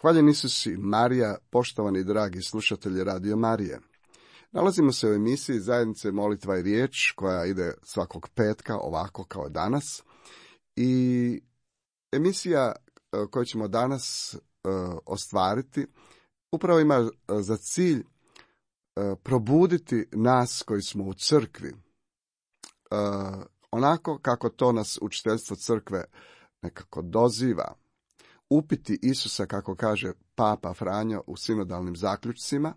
Hvaljen Isus i Marija, poštovani dragi slušatelji Radio Marije. Nalazimo se u emisiji Zajednice molitva i riječ, koja ide svakog petka, ovako kao danas. I emisija koju ćemo danas ostvariti upravo ima za cilj probuditi nas koji smo u crkvi. Onako kako to nas učiteljstvo crkve nekako doziva. Upiti Isusa, kako kaže Papa Franjo u sinodalnim zaključcima,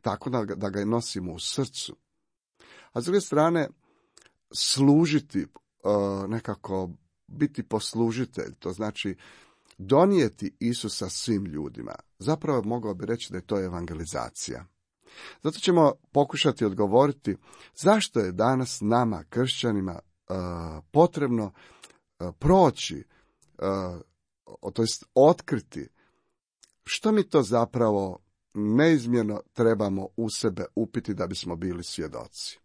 tako da ga nosimo u srcu. A s druge strane, služiti, nekako biti poslužitelj, to znači donijeti Isusa svim ljudima. Zapravo mogao bi reći da je to evangelizacija. Zato ćemo pokušati odgovoriti zašto je danas nama, kršćanima, potrebno proći, to jest otkriti što mi to zapravo neizmjerno trebamo u sebe upiti da bismo bili svjedoci.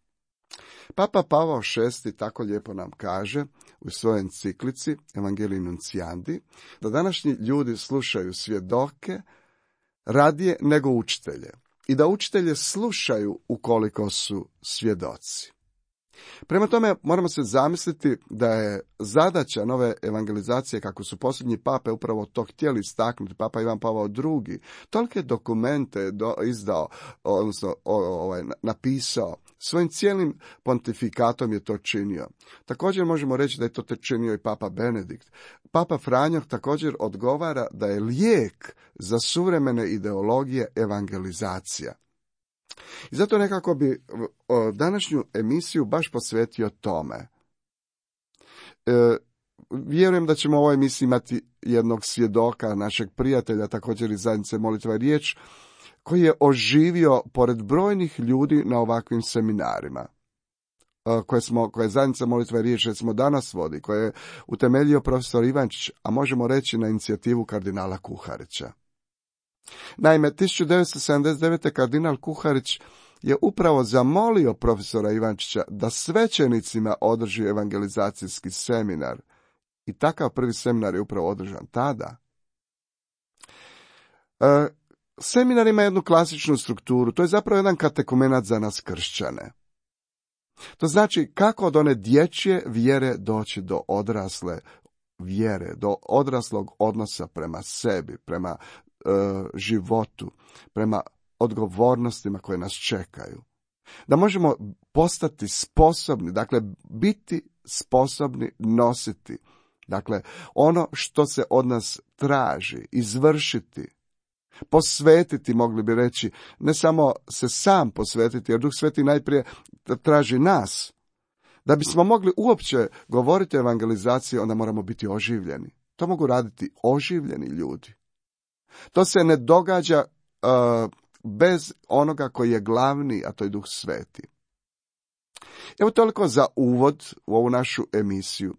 Papa Pavao VI tako lijepo nam kaže u svojoj enciklici Evangelii Nunciandi da današnji ljudi slušaju svjedoke radije nego učitelje i da učitelje slušaju ukoliko su svjedoci. Prema tome, moramo se zamisliti da je zadaća nove evangelizacije, kako su posljednji pape upravo to htjeli istaknuti, Papa Ivan Pavao II, tolike dokumente izdao, odnosno napisao, svojim cijelim pontifikatom je to činio. Također možemo reći da je to činio i Papa Benedikt. Papa Franjo također odgovara da je lijek za suvremene ideologije evangelizacija. I zato nekako bi današnju emisiju baš posvetio tome. Vjerujem da ćemo u ovoj emisiji imati jednog svjedoka, našeg prijatelja, također iz Zajednice molitva i riječ, koji je oživio pored brojnih ljudi na ovakvim seminarima, koje Zajednica molitva i riječ recimo danas vodi, koje je utemeljio profesor Ivančić, a možemo reći na inicijativu kardinala Kuharića. Naime, 1979. kardinal Kuharić je upravo zamolio profesora Ivančića da svećenicima održi evangelizacijski seminar. I takav prvi seminar je upravo održan tada. Seminar ima jednu klasičnu strukturu, to je zapravo jedan katekumenat za nas kršćane. To znači kako od one dječje vjere doći do odrasle vjere, do odraslog odnosa prema sebi, prema životu, prema odgovornostima koje nas čekaju. Da možemo postati sposobni, dakle biti sposobni nositi, dakle ono što se od nas traži, izvršiti, posvetiti, mogli bi reći, ne samo se sam posvetiti, jer Duh Sveti najprije traži nas. Da bismo mogli uopće govoriti o evangelizaciji, onda moramo biti oživljeni. To mogu raditi oživljeni ljudi. To se ne događa bez onoga koji je glavni, a to je Duh Sveti. Evo toliko za uvod u ovu našu emisiju.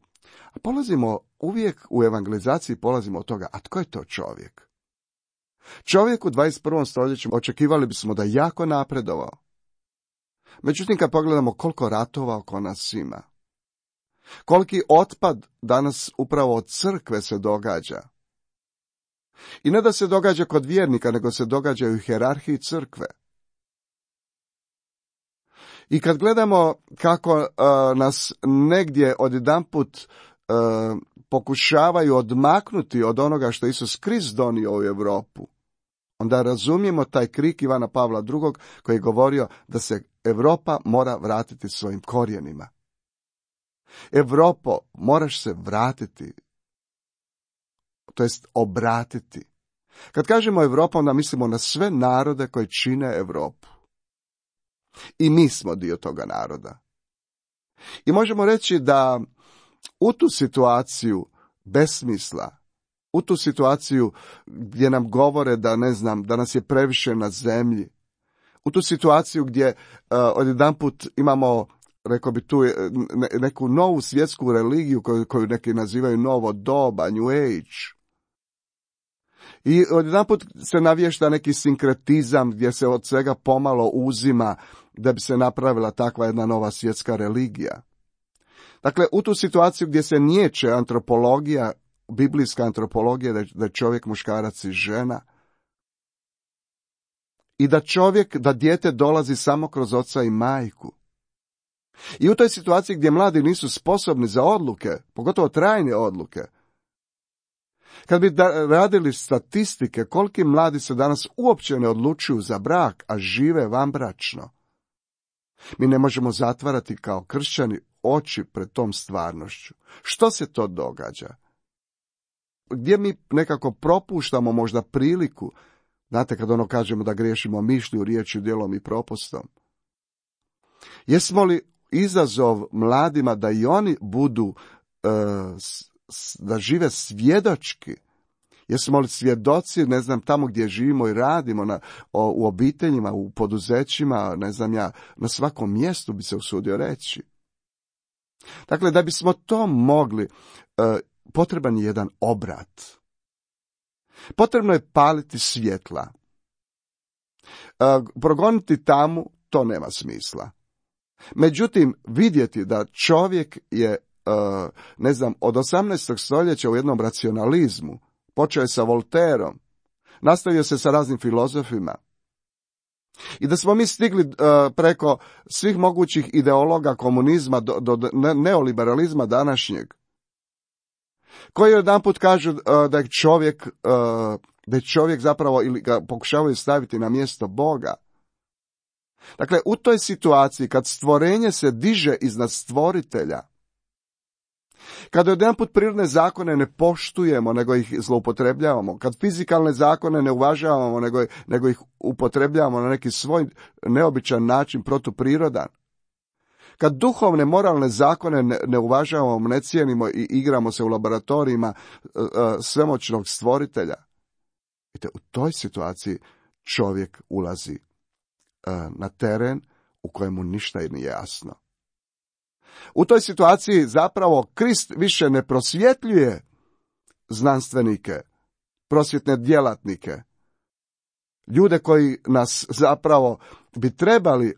A polazimo uvijek u evangelizaciji, polazimo od toga, a tko je to čovjek? Čovjek u 21. stoljeću očekivali bismo da je jako napredovao. Međutim, kad pogledamo koliko ratova oko nas ima, koliki otpad danas upravo od crkve se događa. I ne da se događa kod vjernika, nego se događa u hijerarhiji crkve. I kad gledamo kako nas negdje odjedanput pokušavaju odmaknuti od onoga što Isus Krist donio u Europu, onda razumijemo taj krik Ivana Pavla II. Koji je govorio da se Europa mora vratiti svojim korijenima. Europo, moraš se vratiti, to jest obratiti. Kad kažemo Europa, onda mislimo na sve narode koji čine Europu. I mi smo dio toga naroda. I možemo reći da u tu situaciju besmisla, u tu situaciju gdje nam govore da, ne znam, da nas je previše na zemlji, u tu situaciju gdje odjedanput imamo, rekao bi tu, neku novu svjetsku religiju koju neki nazivaju novo doba, New Age. I odjedanput se navješta neki sinkretizam gdje se od svega pomalo uzima da bi se napravila takva jedna nova svjetska religija. Dakle, u tu situaciju gdje se niječe antropologija, biblijska antropologija, da je čovjek, muškarac i žena, i da dijete dolazi samo kroz oca i majku. I u toj situaciji gdje mladi nisu sposobni za odluke, pogotovo trajne odluke, kad bi radili statistike koliki mladi se danas uopće ne odlučuju za brak, a žive vanbračno, mi ne možemo zatvarati kao kršćani oči pred tom stvarnošću. Što se to događa? Gdje mi nekako propuštamo možda priliku, znate kad kažemo da griješimo mišlju, riječju, djelom i propustom. Jesmo li izazov mladima da i oni budu, da žive svjedočki? Jesmo li svjedoci, ne znam, tamo gdje živimo i radimo, u obiteljima, u poduzećima, ne znam ja, na svakom mjestu bi se usudio reći. Dakle, da bismo to mogli, potreban je jedan obrat. Potrebno je paliti svjetla. Progoniti tamu, to nema smisla. Međutim, vidjeti da čovjek je, ne znam, od 18. stoljeća u jednom racionalizmu, počeo je sa Voltaireom, nastavio se sa raznim filozofima, i da smo mi stigli preko svih mogućih ideologa komunizma do neoliberalizma današnjeg, koji jedanput kažu da je čovjek zapravo, ili ga pokušavaju staviti na mjesto Boga. Dakle, u toj situaciji kad stvorenje se diže iznad stvoritelja, kada jedanput prirodne zakone ne poštujemo, nego ih zloupotrebljavamo, kad fizikalne zakone ne uvažavamo, nego ih upotrebljavamo na neki svoj neobičan način, protuprirodan, kad duhovne, moralne zakone ne uvažavamo, ne cijenimo i igramo se u laboratorijima svemoćnog stvoritelja, u toj situaciji čovjek ulazi na teren u kojemu ništa nije jasno. U toj situaciji zapravo Krist više ne prosvjetljuje znanstvenike, prosvjetne djelatnike, ljude koji nas zapravo bi trebali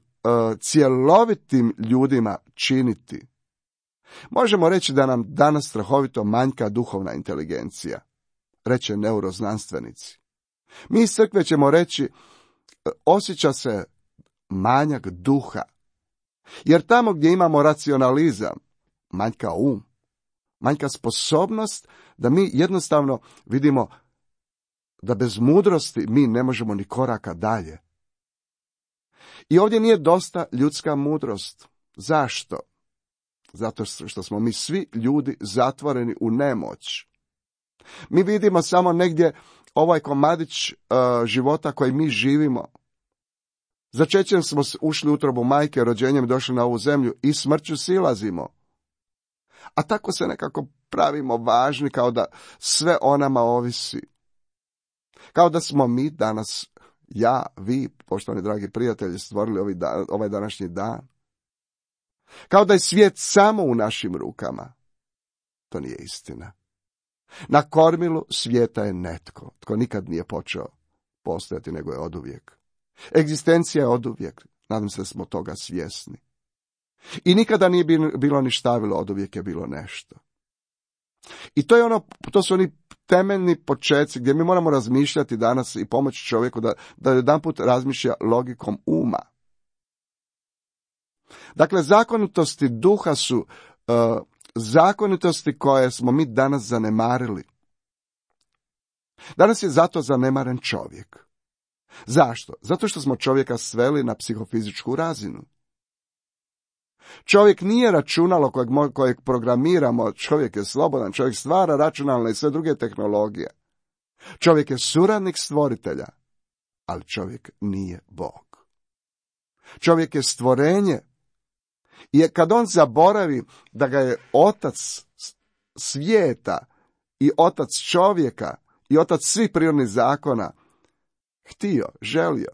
cjelovitim ljudima činiti. Možemo reći da nam danas strahovito manjka duhovna inteligencija, reče neuroznanstvenici. Mi iz crkve ćemo reći, osjeća se manjak duha. Jer tamo gdje imamo racionalizam, manjka manjka sposobnost da mi jednostavno vidimo da bez mudrosti mi ne možemo ni koraka dalje. I ovdje nije dosta ljudska mudrost. Zašto? Zato što smo mi svi ljudi zatvoreni u nemoć. Mi vidimo samo negdje ovaj komadić života koji mi živimo. Začećem smo ušli u utrobu majke, rođenjem došli na ovu zemlju i smrću silazimo. A tako se nekako pravimo važni, kao da sve o nama ovisi. Kao da smo mi danas, ja, vi, poštovani dragi prijatelji, stvorili ovaj današnji dan. Kao da je svijet samo u našim rukama. To nije istina. Na kormilu svijeta je netko, tko nikad nije počeo postojati, nego je oduvijek. Egzistencija je oduvijek, nadam se da smo toga svjesni. I nikada nije bilo ni štavilo, oduvijek je bilo nešto. I to su oni temeljni počeci gdje mi moramo razmišljati danas i pomoći čovjeku da jedanput razmišlja logikom uma. Dakle, zakonitosti duha su zakonitosti koje smo mi danas zanemarili. Danas je zato zanemaren čovjek. Zašto? Zato što smo čovjeka sveli na psihofizičku razinu. Čovjek nije računalo kojeg programiramo, čovjek je slobodan, čovjek stvara računalne i sve druge tehnologije. Čovjek je suradnik stvoritelja, ali čovjek nije Bog. Čovjek je stvorenje. I kad on zaboravi da ga je otac svijeta i otac čovjeka i otac svih prirodnih zakona htio, želio,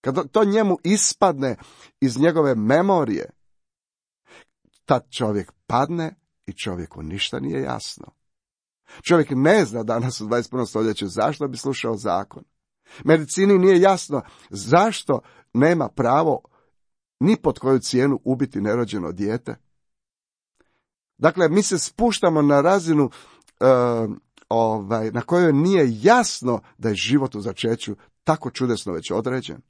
kad to njemu ispadne iz njegove memorije, tad čovjek padne i čovjeku ništa nije jasno. Čovjek ne zna danas u 21. stoljeću zašto bi slušao zakon. Medicini nije jasno zašto nema pravo ni pod koju cijenu ubiti nerođeno dijete. Dakle, mi se spuštamo na razinu na kojoj nije jasno da je život u začeću tako čudesno već određen.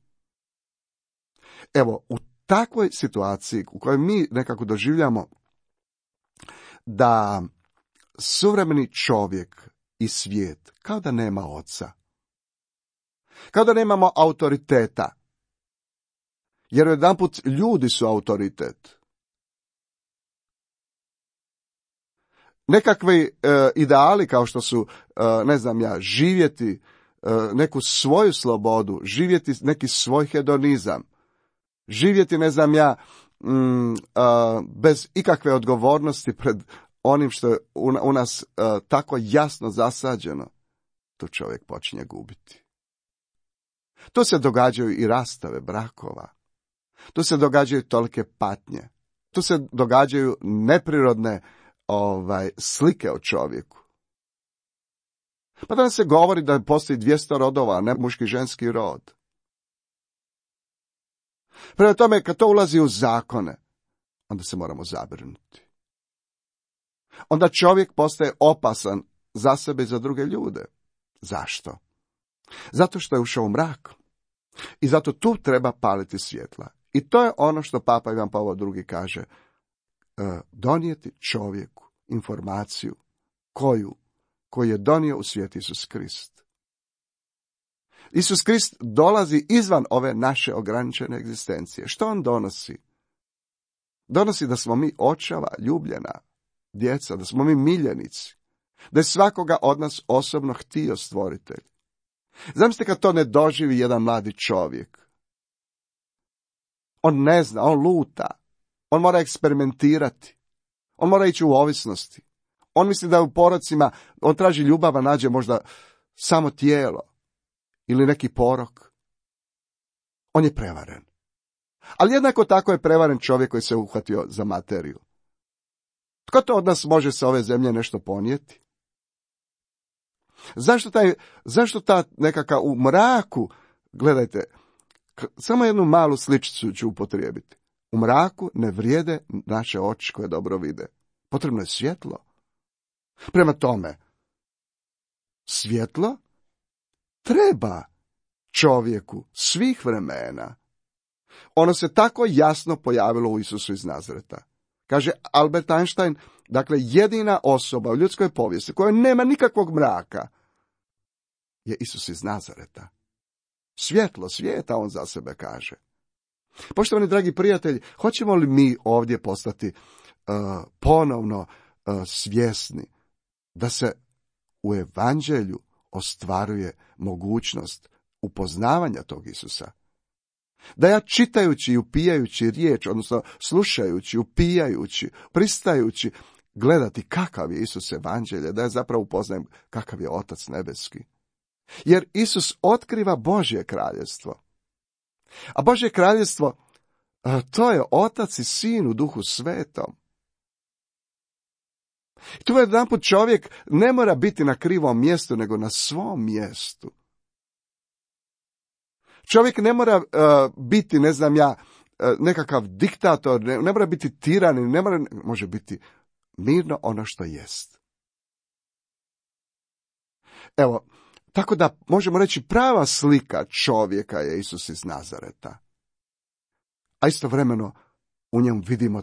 Evo, u takvoj situaciji u kojoj mi nekako doživljamo da suvremeni čovjek i svijet kao da nema oca, kao da nemamo autoriteta, jer jedanput ljudi su autoritet. Nekakvi ideali kao što su, živjeti neku svoju slobodu, živjeti neki svoj hedonizam, živjeti, bez ikakve odgovornosti pred onim što je u nas tako jasno zasađeno, tu čovjek počinje gubiti. Tu se događaju i rastave brakova. Tu se događaju tolike patnje. Tu se događaju neprirodne slike o čovjeku. Pa danas se govori da postoji 200 rodova, a ne muški i ženski rod. Prema tome, kad to ulazi u zakone, onda se moramo zabrinuti. Onda čovjek postaje opasan za sebe i za druge ljude. Zašto? Zato što je ušao u mrak. I zato tu treba paliti svjetla. I to je ono što Papa Ivan Pavao II kaže. Donijeti čovjeku informaciju koju je donio u svijet Isus Krist. Isus Krist dolazi izvan ove naše ograničene egzistencije. Što on donosi? Donosi da smo mi očeva, ljubljena djeca, da smo mi miljenici, da je svakoga od nas osobno htio stvoritelj. Zamislite kad to ne doživi jedan mladi čovjek. On ne zna, on luta, on mora eksperimentirati, on mora ići u ovisnosti. On misli da u porocima, on traži ljubav, a nađe možda samo tijelo ili neki porok. On je prevaren. Ali jednako tako je prevaren čovjek koji se uhvatio za materiju. Tko to od nas može sa ove zemlje nešto ponijeti? Zašto ta nekakav u mraku, gledajte, samo jednu malu sličicu ću upotrijebiti. U mraku ne vrijede naše oči koje dobro vide. Potrebno je svjetlo. Prema tome, svjetlo treba čovjeku svih vremena. Ono se tako jasno pojavilo u Isusu iz Nazareta. Kaže Albert Einstein, dakle jedina osoba u ljudskoj povijesti koja nema nikakvog mraka je Isus iz Nazareta. Svjetlo svijeta, on za sebe kaže. Poštovani dragi prijatelji, hoćemo li mi ovdje postati ponovno svjesni da se u evanđelju ostvaruje mogućnost upoznavanja tog Isusa? Da ja čitajući i upijajući riječ, odnosno slušajući, upijajući, pristajući, gledati kakav je Isus evanđelje, da ja zapravo upoznajem kakav je Otac nebeski. Jer Isus otkriva Božje kraljevstvo. A Božje kraljevstvo, to je Otac i Sin u Duhu Svetom. I tu jedanput čovjek ne mora biti na krivom mjestu, nego na svom mjestu. Čovjek ne mora biti, nekakav diktator, ne mora biti tiranin, može biti mirno ono što jest. Evo, tako da možemo reći prava slika čovjeka je Isus iz Nazareta. A istovremeno u njemu vidimo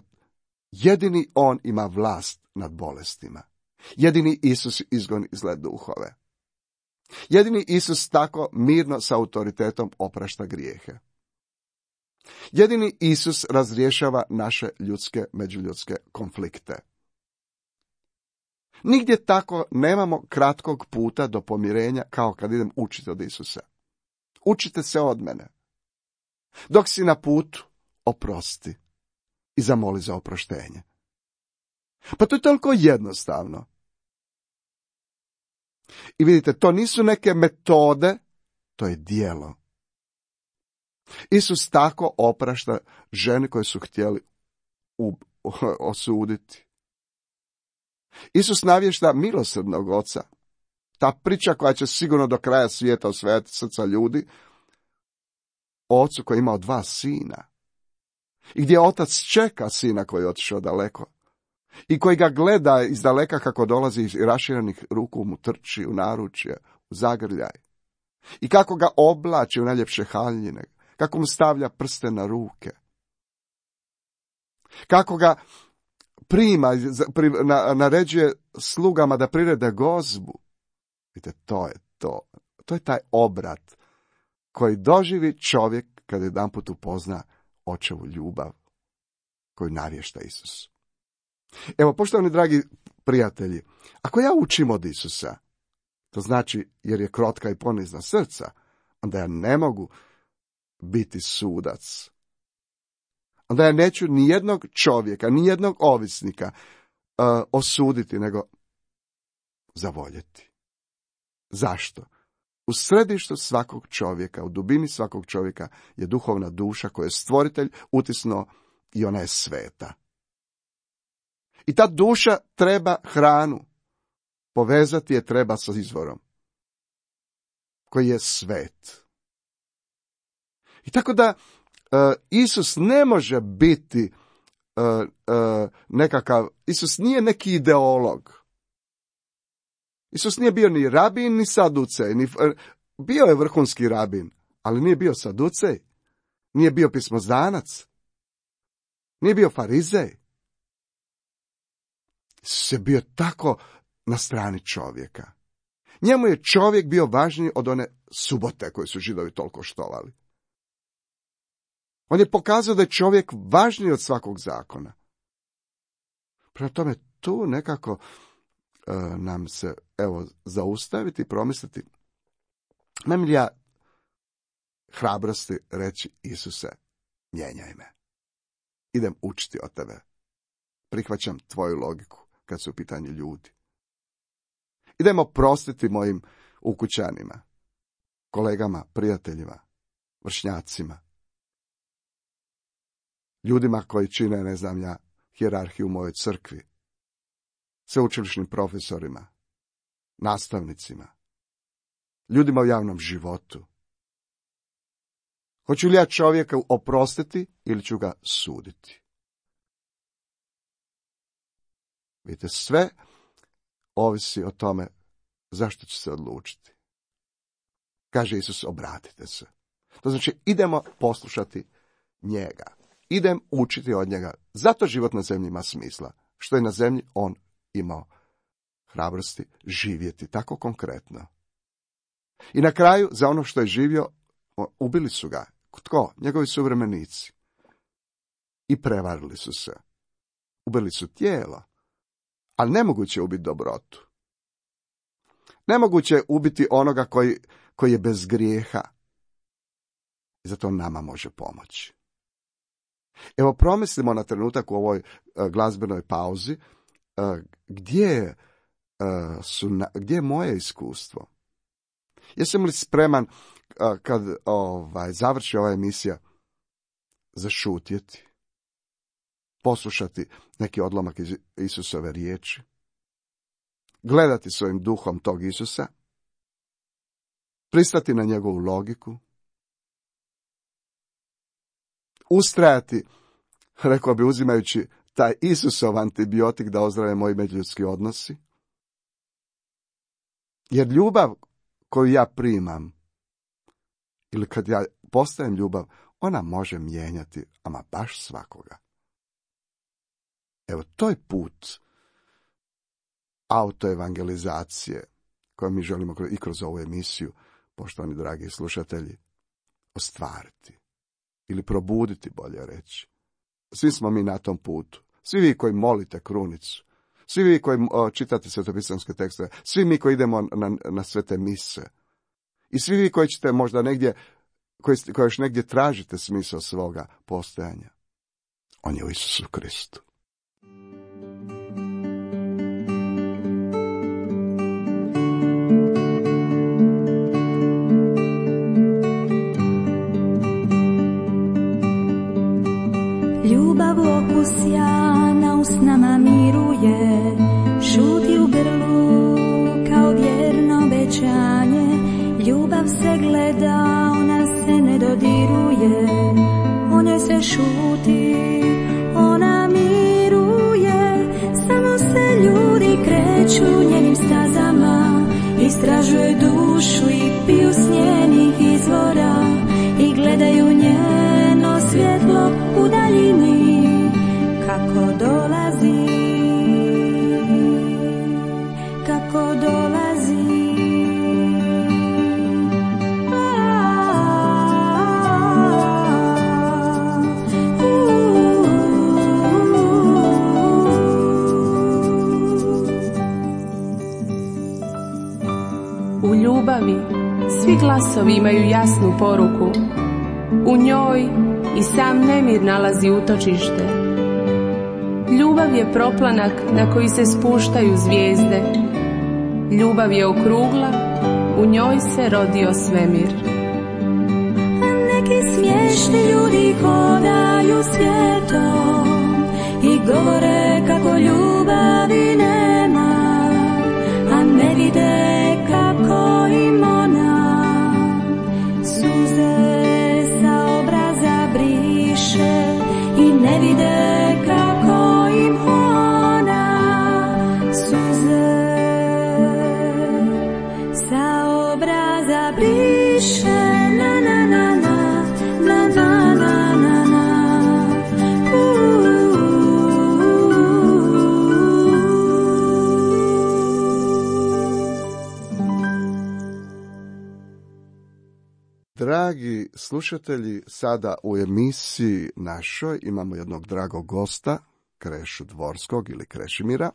jedini on ima vlast nad bolestima. Jedini Isus izgoni zle duhove. Jedini Isus tako mirno sa autoritetom oprašta grijehe. Jedini Isus razrješava naše međuljudske konflikte. Nigdje tako nemamo kratkog puta do pomirenja kao kad idem učiti od Isusa. Učite se od mene. Dok si na putu, oprosti i zamoli za oproštenje. Pa to je toliko jednostavno. I vidite, to nisu neke metode, to je djelo. Isus tako oprašta žene koje su htjeli osuditi. Isus navješta milosrdnog oca. Ta priča koja će sigurno do kraja svijeta osvajati srca ljudi, o ocu koji je imao 2 sina. I gdje otac čeka sina koji je otišao daleko. I koji ga gleda iz daleka kako dolazi iz raširenih ruku mu trči u naručje, u zagrljaj. I kako ga oblači u najljepše haljine, kako mu stavlja prste na ruke. Kako ga prima, naređuje slugama da prirede gozbu. Vidite, to je to. To je taj obrat koji doživi čovjek kada jedanput upozna očevu ljubav koju navješta Isus. Evo, poštovani dragi prijatelji, ako ja učim od Isusa, to znači jer je krotka i ponizna srca, onda ja ne mogu biti sudac. Onda ja neću ni jednog čovjeka, ni jednog ovisnika osuditi, nego zavoljeti. Zašto? U središtu svakog čovjeka, u dubini svakog čovjeka je duhovna duša koju je stvoritelj utisnuo i ona je sveta. I ta duša treba hranu. Povezati je treba sa izvorom koji je svet. I tako da Isus ne može biti Isus nije neki ideolog. Isus nije bio ni rabin, ni saducej. Bio je vrhunski rabin, ali nije bio saducej. Nije bio pismoznanac. Nije bio farizej. Isus je bio tako na strani čovjeka. Njemu je čovjek bio važniji od one subote koje su Židovi toliko štovali. On je pokazao da je čovjek važniji od svakog zakona. Prema tome, tu nekako nam se, zaustaviti i promisliti. Nemam li ja hrabrosti reći Isuse, mijenjaj me. Idem učiti od tebe. Prihvaćam tvoju logiku kad su u pitanju ljudi. Idemo prostiti mojim ukućanima, kolegama, prijateljima, vršnjacima, ljudima koji čine, ne znam ja, hijerarhiju u mojoj crkvi, sveučilišnim profesorima, nastavnicima, ljudima u javnom životu. Hoću li ja čovjeka oprostiti ili ću ga suditi? Vidite, sve ovisi o tome zašto će se odlučiti. Kaže Isus, obratite se. To znači, idemo poslušati njega. Idem učiti od njega. Zato život na zemlji ima smisla. Što je na zemlji on imao hrabrosti živjeti tako konkretno. I na kraju, za ono što je živio, ubili su ga. Tko? Njegovi suvremenici. I prevarili su se. Ubili su tijelo. Ali nemoguće je ubiti dobrotu. Nemoguće je ubiti onoga koji je bez grijeha. I zato on nama može pomoći. Evo, promislimo na trenutak u ovoj glazbenoj pauzi gdje je moje iskustvo. Jesam li spreman kad završi ova emisija zašutjeti, poslušati neki odlomak iz Isusove riječi, gledati svojim duhom tog Isusa, pristati na njegovu logiku, ustrajati, rekao bi, uzimajući taj Isusov antibiotik da ozdrave moji međuljudski odnosi. Jer ljubav koju ja primam, ili kad ja postajem ljubav, ona može mijenjati, ama baš svakoga. Evo, to je put autoevangelizacije koju mi želimo i kroz ovu emisiju, poštovani dragi slušatelji, ostvariti. Ili probuditi, bolje reći. Svi smo mi na tom putu. Svi vi koji molite krunicu. Svi vi koji čitate svetopisamske tekstove. Svi mi koji idemo na svete mise. I svi vi koji ćete možda negdje, koji još negdje tražite smisao svoga postojanja. On je u Isusu Kristu. Ljubav okus sjana usnama miruje, šuti u grlu kao vjerno obećanje. Ljubav se gleda, ona se ne dodiruje, o njoj se šuti, ona miruje. Samo se ljudi kreću njenim stazama, istražuje dušu i piju s njenih izvora i gledaju njeno svjetlo u daljini kako dolazi, kako dolazi. U ljubavi svi glasovi imaju jasnu poruku. U njoj i sam nemir nalazi utočište. Ljubav je proplanak na koji se spuštaju zvijezde. Ljubav je okrugla, u njoj se rodio svemir. Neki smiješni ljudi hodaju svijetom i govore kako ljubavi nema, a ne vide kako im ona suze sa obraza briše i ne vide kako im ona suze sa obraza briše. Na na na na na na na na na. Dragi slušatelji, sada u emisiji našoj imamo jednog dragog gosta, Krešu Dvorskog ili Krešimira.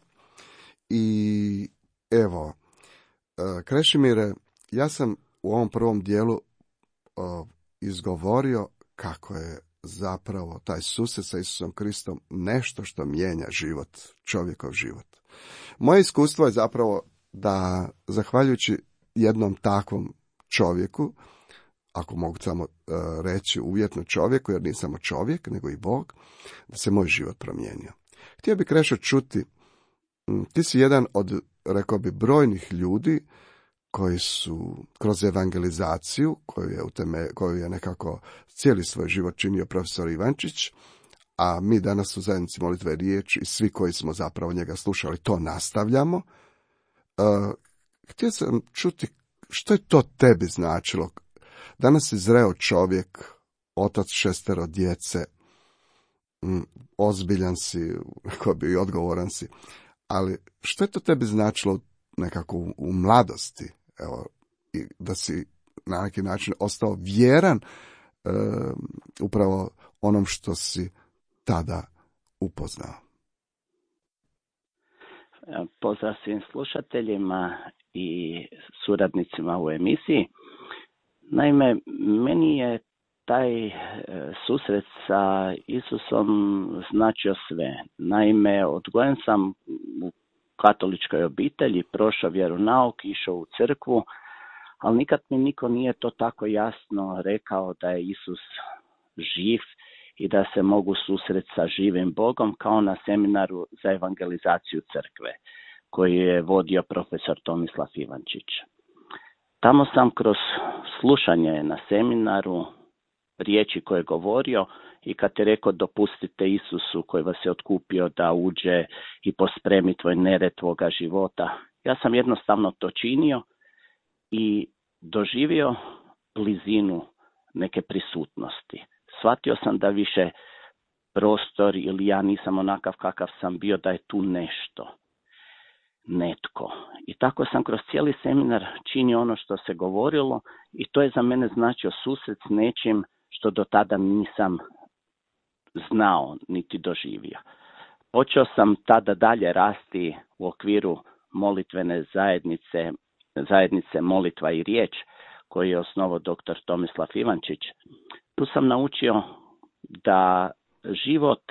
I evo, Krešimire, ja sam u ovom prvom dijelu izgovorio kako je zapravo taj susret sa Isusom Kristom nešto što mijenja život, čovjekov život. Moje iskustvo je zapravo da, zahvaljujući jednom takvom čovjeku, ako mogu samo reći uvjetno čovjeku, jer nisam samo čovjek, nego i Bog, da se moj život promijenio. Htio bih, Krešo, čuti, ti si jedan od, rekao bi, brojnih ljudi koji su kroz evangelizaciju, koju je nekako cijeli svoj život činio profesor Ivančić, a mi danas u zajednici Molitve riječ i svi koji smo zapravo njega slušali, to nastavljamo. Htio sam čuti što je to tebi značilo. Danas si zreo čovjek, otac 6 djece, ozbiljan si, rekao bi, i odgovoran si, ali što je to tebi značilo nekako u mladosti, evo, i da si na neki način ostao vjeran upravo onom što si tada upoznao? Pozdrav svim slušateljima i suradnicima u emisiji. Naime, meni je taj susret sa Isusom značio sve. Naime, odgojen sam u katoličkoj obitelji, prošao vjeronauk, išao u crkvu, ali nikad mi niko nije to tako jasno rekao da je Isus živ i da se mogu susreti sa živim Bogom, kao na seminaru za evangelizaciju crkve koji je vodio profesor Tomislav Ivančić. Tamo sam kroz slušanje na seminaru riječi koje je govorio i kad je rekao dopustite Isusu koji vas je otkupio da uđe i pospremi tvoj nered tvoga života, ja sam jednostavno to činio i doživio blizinu neke prisutnosti. Shvatio sam da više prostor ili ja nisam onakav kakav sam bio, da je tu nešto, netko. I tako sam kroz cijeli seminar činio ono što se govorilo i to je za mene značio susret s nečim što do tada nisam znao niti doživio. Počeo sam tada dalje rasti u okviru molitvene zajednice Molitva i riječ koju je osnovao dr. Tomislav Ivančić. Tu sam naučio da život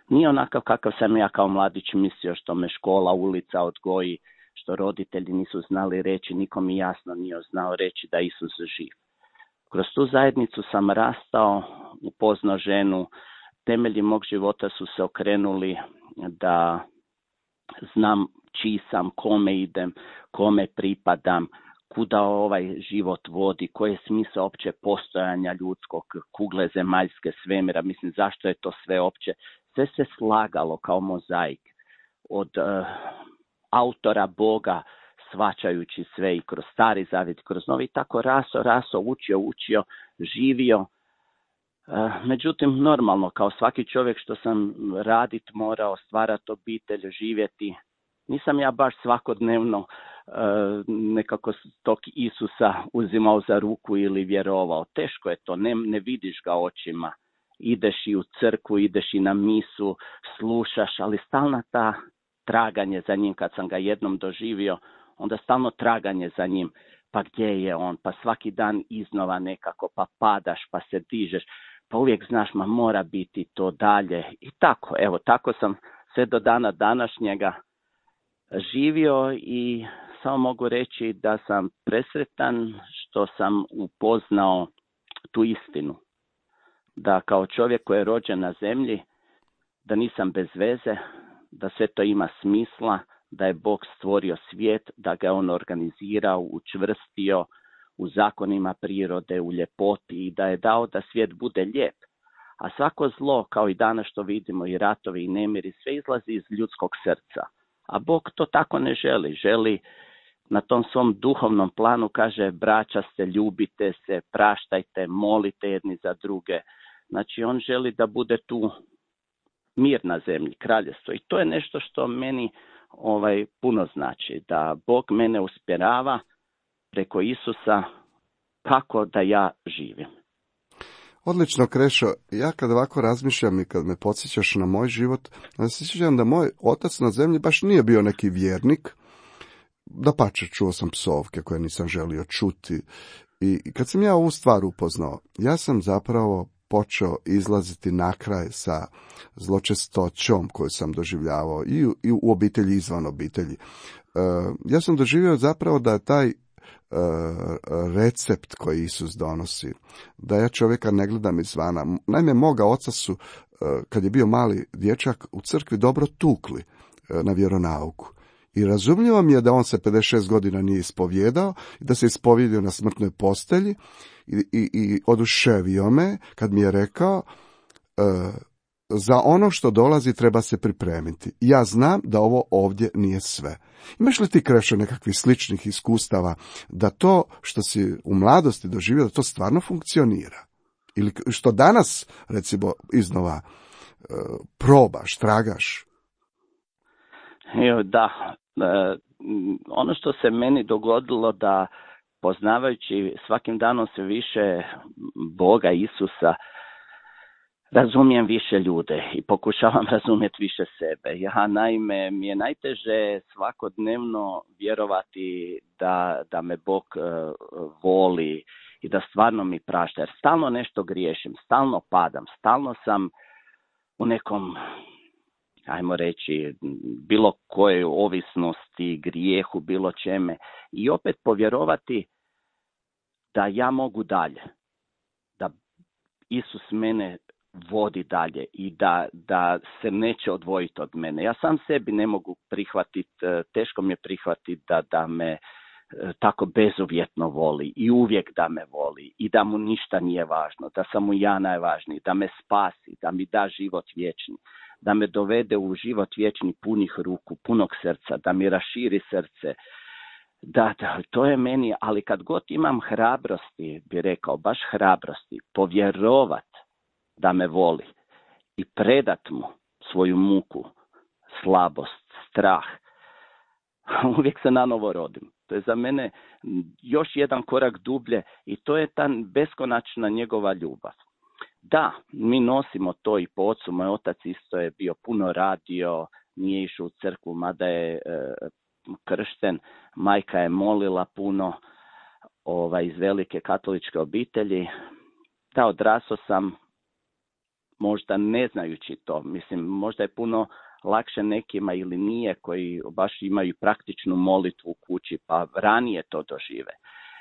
nije onakav kakav sam ja kao mladić mislio, što me škola, ulica odgoji, što roditelji nisu znali reći, niko mi jasno nije znao reći da Isus živ. Kroz tu zajednicu sam rastao, upoznao ženu, temelji mog života su se okrenuli da znam čiji sam, kome idem, kome pripadam, kuda ovaj život vodi, koji je smisao opće postojanja ljudskog, kugle zemaljske, svemira, mislim zašto je to sve opće. Sve se slagalo kao mozaik. Od autora Boga svačajući sve i kroz Stari Zavjet, kroz Novi, tako raso, učio, živio. Međutim, normalno, kao svaki čovjek što sam radit morao, stvarati obitelj, živjeti, nisam ja baš svakodnevno nekako tog Isusa uzimao za ruku ili vjerovao. Teško je to, ne vidiš ga očima. Ideš i u crkvu, ideš i na misu, slušaš, ali stalna ta traganje za njim. Kad sam ga jednom doživio, onda stalno traganje za njim. Pa gdje je on? Pa svaki dan iznova nekako, pa padaš, pa se dižeš. Pa uvijek znaš, mora biti to dalje. I tako, tako sam sve do dana današnjega živio i samo mogu reći da sam presretan što sam upoznao tu istinu. Da kao čovjek koji je rođen na zemlji, da nisam bez veze, da sve to ima smisla, da je Bog stvorio svijet, da ga je on organizirao, učvrstio u zakonima prirode, u ljepoti i da je dao da svijet bude lijep. A svako zlo, kao i danas što vidimo, i ratovi i nemiri, sve izlazi iz ljudskog srca. A Bog to tako ne želi. Želi na tom svom duhovnom planu, kaže, braća se, ljubite se, praštajte, molite jedni za druge. Znači, on želi da bude tu mir na zemlji, kraljestvo. I to je nešto što meni puno znači. Da Bog mene usmjerava preko Isusa kako da ja živim. Odlično, Krešo. Ja kad ovako razmišljam i kad me podsjećaš na moj život, onda se sjećam da moj otac na zemlji baš nije bio neki vjernik. Dapače, čuo sam psovke koje nisam želio čuti. I kad sam ja ovu stvar upoznao, ja sam zapravo počeo izlaziti na kraj sa zločestoćom koju sam doživljavao i u obitelji i izvan obitelji. Ja sam doživio zapravo da taj recept koji Isus donosi, da ja čovjeka ne gledam izvana. Naime, moga oca su, kad je bio mali dječak, u crkvi dobro tukli na vjeronauku. I razumljivo mi je da on se 56 godina nije ispovjedao i da se ispovjedio na smrtnoj postelji i oduševio me kad mi je rekao za ono što dolazi treba se pripremiti. Ja znam da ovo ovdje nije sve. Imaš li ti, Krešo, nekakvih sličnih iskustava da to što si u mladosti doživio, da to stvarno funkcionira? Ili što danas, recimo, iznova probaš, tragaš? Da, ono što se meni dogodilo da poznavajući svakim danom sve više Boga, Isusa, razumijem više ljude i pokušavam razumjeti više sebe. Ja, naime, mi je najteže svakodnevno vjerovati da me Bog voli i da stvarno mi prašta, jer stalno nešto griješim, stalno padam, stalno sam u nekom, ajmo reći, bilo kojoj ovisnosti, grijehu, bilo čeme. I opet povjerovati da ja mogu dalje, da Isus mene vodi dalje i da se neće odvojiti od mene. Ja sam sebi ne mogu prihvatiti, teško mi je prihvatiti da me tako bezuvjetno voli i uvijek da me voli i da mu ništa nije važno, da sam mu ja najvažniji, da me spasi, da mi da život vječni, da me dovede u život vječni punih ruku, punog srca, da mi raširi srce. Da, to je meni, ali kad god imam hrabrosti, bi rekao, baš hrabrosti, povjerovat da me voli i predat mu svoju muku, slabost, strah, uvijek se nanovo rodim. To je za mene još jedan korak dublje i to je ta beskonačna njegova ljubav. Da, mi nosimo to i po ocu. Moj otac isto je bio puno radio, nije išao u crkvu, mada je kršten. Majka je molila puno iz velike katoličke obitelji. Da, odrasao sam možda ne znajući to. Mislim, možda je puno lakše nekima ili nije koji baš imaju praktičnu molitvu u kući, pa ranije to dožive.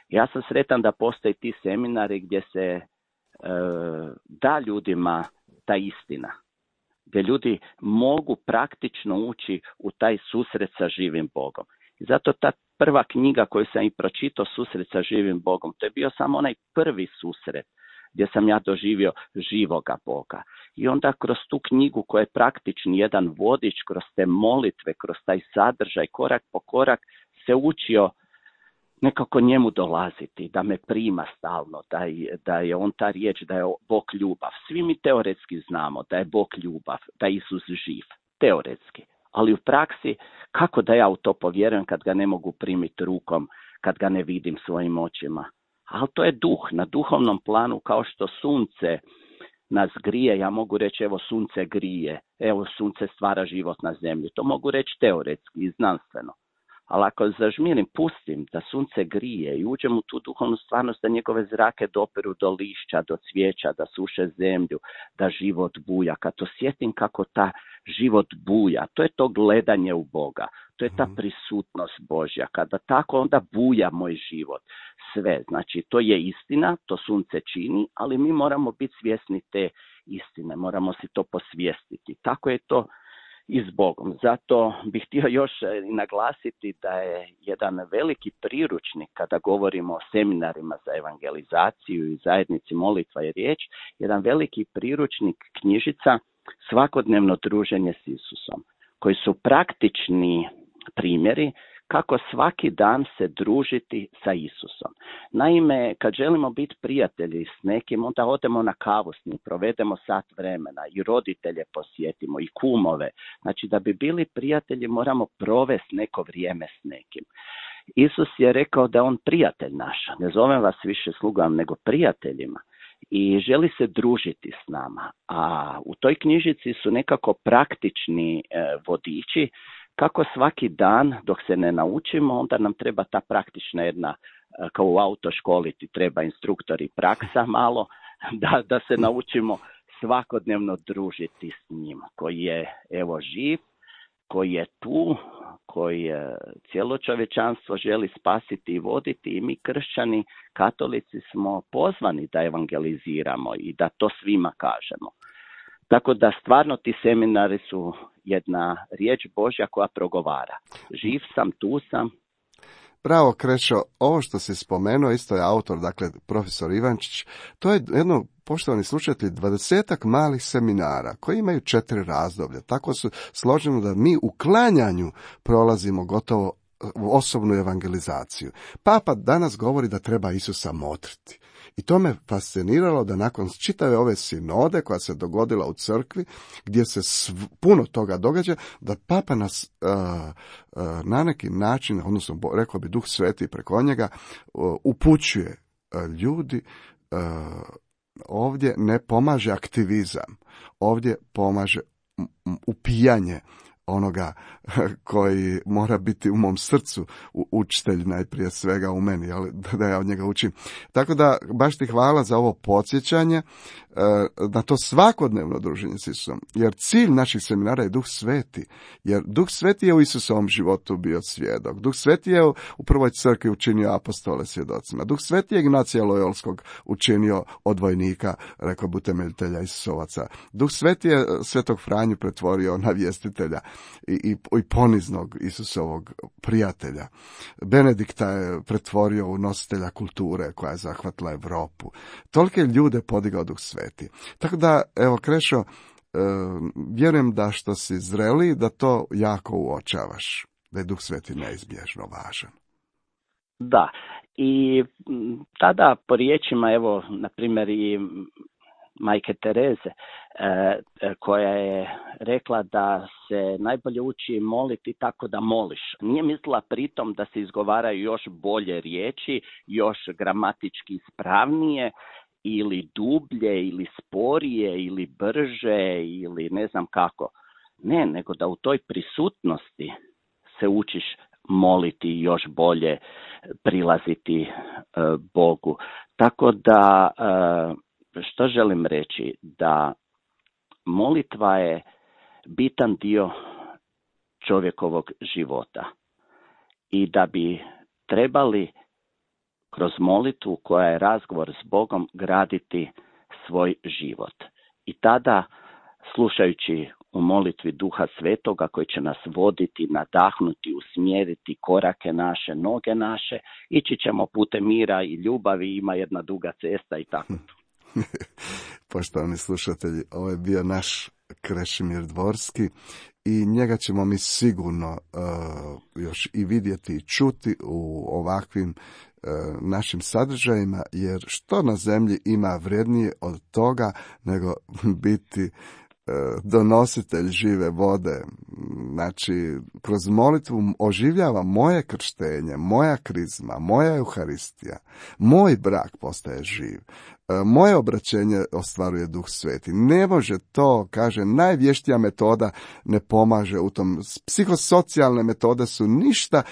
Ja sam sretan da postoje ti seminari gdje se da ljudima ta istina, gdje ljudi mogu praktično ući u taj susret sa živim Bogom. I zato ta prva knjiga koju sam i pročitao, Susret sa živim Bogom, to je bio samo onaj prvi susret gdje sam ja doživio živoga Boga. I onda kroz tu knjigu koja je praktični jedan vodič, kroz te molitve, kroz taj sadržaj, korak po korak, se učio nekako njemu dolaziti, da me prima stalno, da je on ta riječ, da je Bog ljubav. Svi mi teoretski znamo da je Bog ljubav, da je Isus živ, teoretski. Ali u praksi, kako da ja u to povjerujem kad ga ne mogu primiti rukom, kad ga ne vidim svojim očima? Ali to je duh, na duhovnom planu, kao što sunce nas grije, ja mogu reći evo sunce grije, evo sunce stvara život na zemlji. To mogu reći teoretski i znanstveno. Ali ako zažmirim, pustim da sunce grije i uđem u tu duhovnu stvarnost, da njegove zrake doperu do lišća, do cvijeća, da suše zemlju, da život buja. Kad osjetim kako ta život buja, to je to gledanje u Boga, to je ta prisutnost Božja. Kada tako onda buja moj život. Sve, znači to je istina, to sunce čini, ali mi moramo biti svjesni te istine, moramo si to posvijestiti. Tako je to i s Bogom. Zato bih htio još naglasiti da je jedan veliki priručnik kada govorimo o seminarima za evangelizaciju i zajednici molitva i riječ, jedan veliki priručnik knjižica Svakodnevno druženje s Isusom, koji su praktični primjeri kako svaki dan se družiti sa Isusom. Naime, kad želimo biti prijatelji s nekim, onda odemo na kavu s njim, provedemo sat vremena i roditelje posjetimo i kumove. Znači, da bi bili prijatelji moramo provesti neko vrijeme s nekim. Isus je rekao da je on prijatelj naš. Ne zovem vas više slugama, nego prijateljima. I želi se družiti s nama. A u toj knjižici su nekako praktični vodiči kako svaki dan, dok se ne naučimo, onda nam treba ta praktična jedna, kao u autoškoli ti treba instruktor i praksa malo, da se naučimo svakodnevno družiti s njim, koji je evo živ, koji je tu, koji cijelo čovječanstvo želi spasiti i voditi i mi kršćani, katolici smo pozvani da evangeliziramo i da to svima kažemo. Tako da stvarno ti seminari su jedna riječ Božja koja progovara. Živ sam, tu sam. Bravo, Krešo, ovo što si spomenuo, isto je autor, dakle, profesor Ivančić, to je jedno, poštovani slušatelji, 20-ak malih seminara koji imaju 4 razdoblja. Tako su složeno da mi u klanjanju prolazimo gotovo osobnu evangelizaciju. Papa danas govori da treba Isusa motriti. I to me fasciniralo da nakon čitave ove sinode koja se dogodila u crkvi, gdje se puno toga događa, da Papa nas na neki način, odnosno rekao bi Duh Sveti preko njega, upućuje ljudi. Ovdje ne pomaže aktivizam, ovdje pomaže upijanje onoga koji mora biti u mom srcu učitelj najprije svega u meni, ali da ja od njega učim. Tako da baš ti hvala za ovo podsjećanje na to svakodnevno druženje s Isusom, jer cilj naših seminara je Duh Sveti, jer Duh Sveti je u Isusovom životu bio svjedok. Duh Sveti je u prvoj crkvi učinio apostole svjedocima. Duh Sveti je Ignacija Lojolskog učinio odvojnika, rekao bi utemeljitelja Isusovaca. Duh Sveti je Svetog Franju pretvorio na vjestitelja i poniznog Isusovog prijatelja. Benedikta je pretvorio u nositelja kulture koja je zahvatila Europu. Tolike ljude podigao Duh Sveti. Tako da, evo, Krešo, vjerujem da što si zreli, da to jako uočavaš, da je Duh Sveti neizbježno važan. Da, i tada po riječima, evo, na primjer i majke Tereze, koja je rekla da se najbolje uči moliti tako da moliš. Nije mislila pritom da se izgovaraju još bolje riječi, još gramatički ispravnije, ili dublje, ili sporije, ili brže, ili ne znam kako. Ne, nego da u toj prisutnosti se učiš moliti još bolje, prilaziti Bogu. Tako da, što želim reći? Da molitva je bitan dio čovjekovog života i da bi trebali kroz molitvu koja je razgovor s Bogom graditi svoj život. I tada, slušajući u molitvi Duha Svetoga koji će nas voditi, nadahnuti, usmjeriti korake naše, noge naše, ići ćemo putem mira i ljubavi, ima jedna duga cesta i tako. Poštovani slušatelji, ovo je bio naš Krešimir Dvorski i njega ćemo mi sigurno još i vidjeti i čuti u ovakvim našim sadržajima, jer što na zemlji ima vrijednije od toga nego biti donositelj žive vode. Znači, kroz molitvu oživljava moje krštenje, moja krizma, moja euharistija, moj brak postaje živ, moje obraćenje ostvaruje Duh Sveti. Ne može to, kaže, najvještija metoda ne pomaže u tom. Psihosocijalne metode su ništa,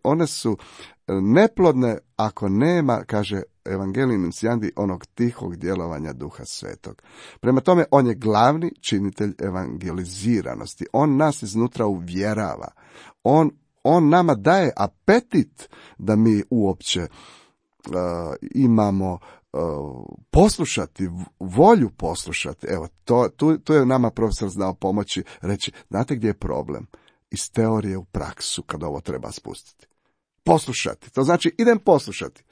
one su neplodne ako nema, kaže Evangelij Nunciandi, onog tihog djelovanja Duha Svetog. Prema tome, on je glavni činitelj evangeliziranosti. On nas iznutra uvjerava. On nama daje apetit da mi uopće imamo poslušati, volju poslušati. Evo, tu je nama profesor znao pomoći, reći, znate gdje je problem? Iz teorije u praksu, kada ovo treba spustiti. Poslušati. To znači, idem poslušati.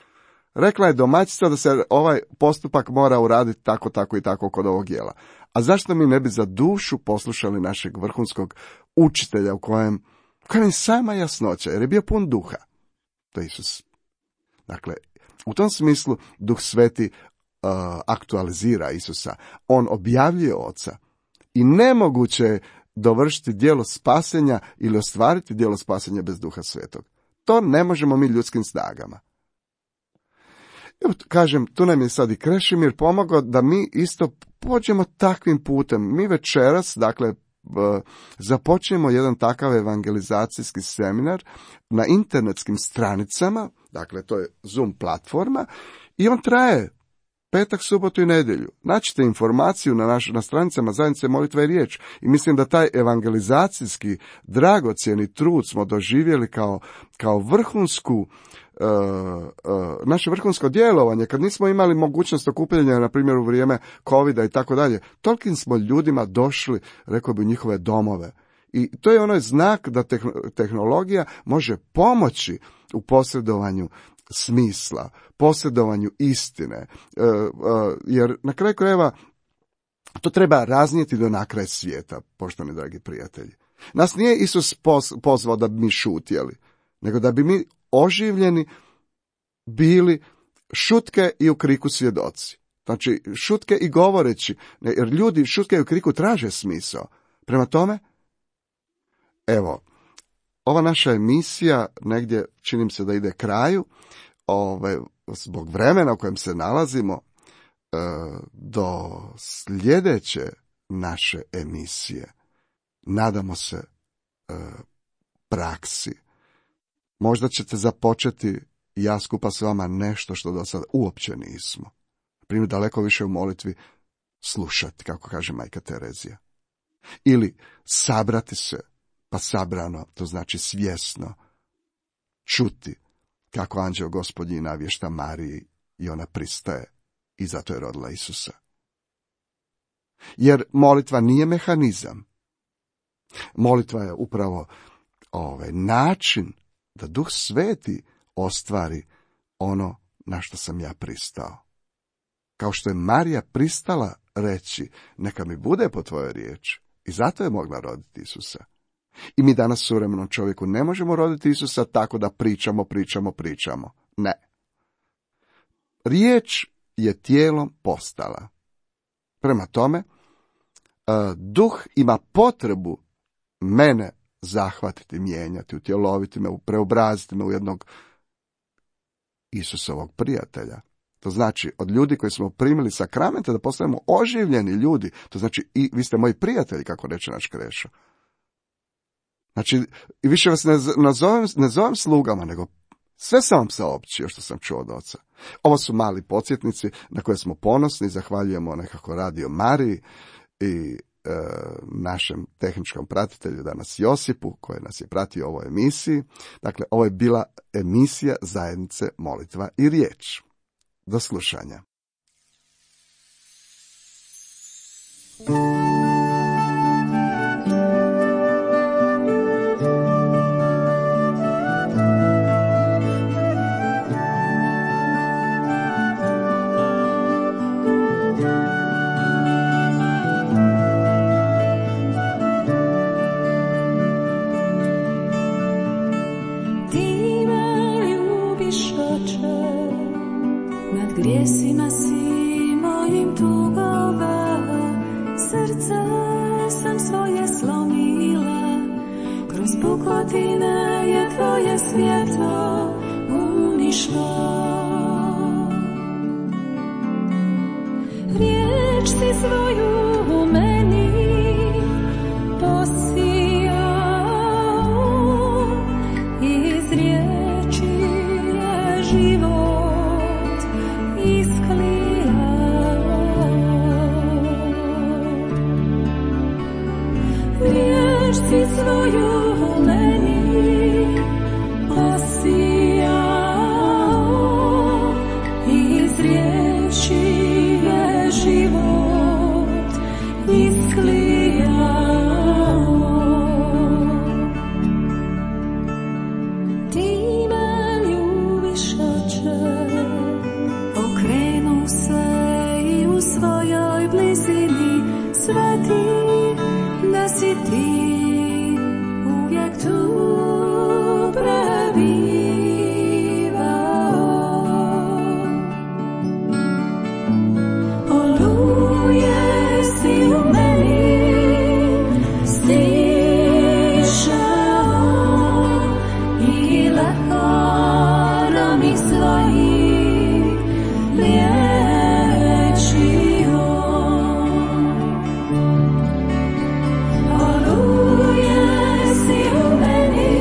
Rekla je domaćica da se ovaj postupak mora uraditi tako, tako i tako kod ovog jela. A zašto mi ne bi za dušu poslušali našeg vrhunskog učitelja u kojem je sama jasnoća, jer je bio pun duha. To je Isus. Dakle, u tom smislu Duh Sveti aktualizira Isusa. On objavljuje Oca. I nemoguće je dovršiti djelo spasenja ili ostvariti djelo spasenja bez Duha Svetog. To ne možemo mi ljudskim snagama. Evo, kažem, tu nam je sad i Krešimir pomogao da mi isto pođemo takvim putem. Mi večeras, dakle, započnemo jedan takav evangelizacijski seminar na internetskim stranicama, dakle, to je Zoom platforma, i on traje petak, subotu i nedjelju. Naćite informaciju na stranicama Zajednice molitva i riječ. I mislim da taj evangelizacijski dragocjeni trud smo doživjeli kao vrhunsku naše vrhunsko djelovanje, kad nismo imali mogućnost okupljanja, na primjer u vrijeme covida i tako dalje. Tolikim smo ljudima došli, rekao bi, u njihove domove. I to je onaj znak da tehnologija može pomoći u posredovanju smisla, posredovanju istine, jer na kraju krajeva to treba raznijeti do nakraj svijeta, poštovani dragi prijatelji. Nas nije Isus pozvao da bi mi šutjeli, nego da bi mi oživljeni bili šutke i u kriku svjedoci. Znači, šutke i govoreći, jer ljudi šutke i u kriku traže smisao. Prema tome, evo, ova naša emisija negdje, čini mi se da ide kraju, zbog vremena u kojem se nalazimo, do sljedeće naše emisije, nadamo se praksi. Možda ćete započeti, ja skupa s vama, nešto što do sada uopće nismo. Primjer, daleko više u molitvi slušati, kako kaže majka Terezija. Ili sabrati se, pa sabrano, to znači svjesno, čuti kako anđeo Gospodnji navješta Mariji i ona pristaje i zato je rodila Isusa. Jer molitva nije mehanizam. Molitva je upravo način da Duh Sveti ostvari ono na što sam ja pristao. Kao što je Marija pristala reći, neka mi bude po tvojoj riječi. I zato je mogla roditi Isusa. I mi danas suvremenom čovjeku ne možemo roditi Isusa tako da pričamo. Ne. Riječ je tijelom postala. Prema tome, Duh ima potrebu mene zahvatiti, mijenjati, utjeloviti me, preobraziti me u jednog Isusovog prijatelja. To znači, od ljudi koji smo primili sakramente, da postajemo oživljeni ljudi. To znači, i vi ste moji prijatelji, kako reče naš Krešo. Znači, i više vas ne zovem slugama, nego sve sam vam saopćio što sam čuo od Oca. Ovo su mali podsjetnici na koje smo ponosni, zahvaljujemo nekako Radio Mariji i našem tehničkom pratitelju danas Josipu, koji nas je pratio u ovoj emisiji. Dakle, ovo je bila emisija Zajednice molitva i riječ. Do slušanja. svojim tugova, srce sam svoje slomila, kroz pukotine je tvoje svjetlo unišlo. Riječ si svoju u meni posijao, iz riječi je život isklijao. Riječ si svoju u meni posijao, iz riječi je život isklijao. Ti me ljubiš, Oče, okrenu se i u svojoj blizini sveti da si ti uvijek tu prebivao. Oluje si u meni stišao i lekarami svojim liječio. Oluje si u meni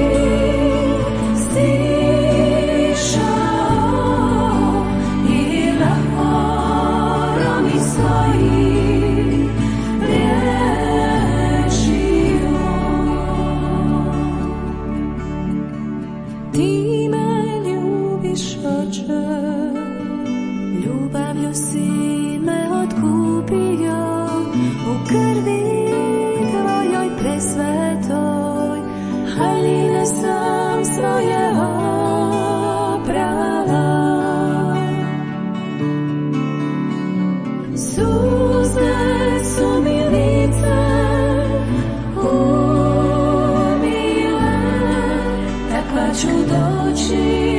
stišao i lekarami svojim liječio. Ti me ljubiš, Oče, ljubavlju si me otkupio, u krvi tvojoj presvetoj haljine sam svoje oprala. Suze su mi lice umile, takva ću doći